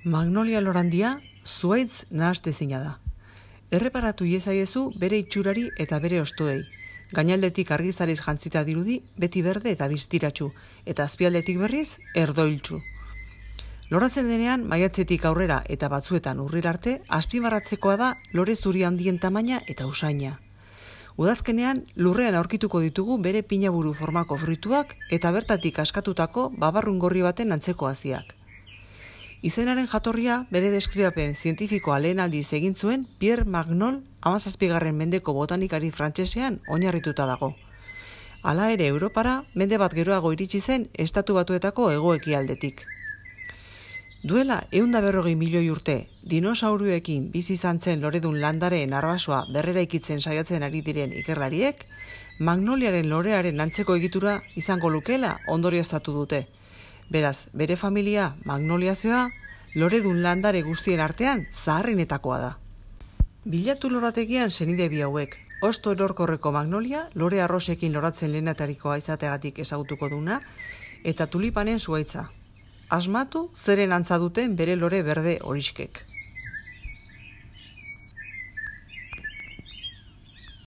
Magnolia lorandia zuhaitz nahastezina da. Erreparatu iezaiezu bere itxurari eta bere hostoei. Gainaldetik argizarez jantzita dirudi beti berde eta distiratsu, eta azpialdetik berriz erdoiltsu. Loratzen denean maiatzetik aurrera eta batzuetan urrira arte azpimarratzekoa da lore zuri handien tamaina eta usaina. Udazkenean lurrean aurkituko ditugu bere pinaburu formako fruituak eta bertatik askatutako babarrun gorri baten antzeko haziak. Izenaren jatorria bere deskribapen zientifikoa lehen aldiz egin zuen Pierre Magnol 17. mendeko botanikari frantsesean oinarrituta dago. Hala ere Europara mende bat geroago iritsi zen Estatu Batuetako hego-ekialdetik. Duela 140 milioi urte, dinosauruekin bizi izan zen loredun landareen arbasoa berreraikitzen saiatzen ari diren ikerlariek, magnoliaren lorearen antzeko egitura izango lukeela ondorioztatu dute. Beraz, bere familia magnoliazioa loredun landare guztien artean zaharrenetakoa da. Bilatu lorategian senide bi hauek, hosto erorkorreko magnolia, lore arrosekin loratzen lehenatarikoa izateagatik ezagutuko duna, eta tulipanen zuhaitza. Asmatu zeren antza duten bere lore berde horiskek.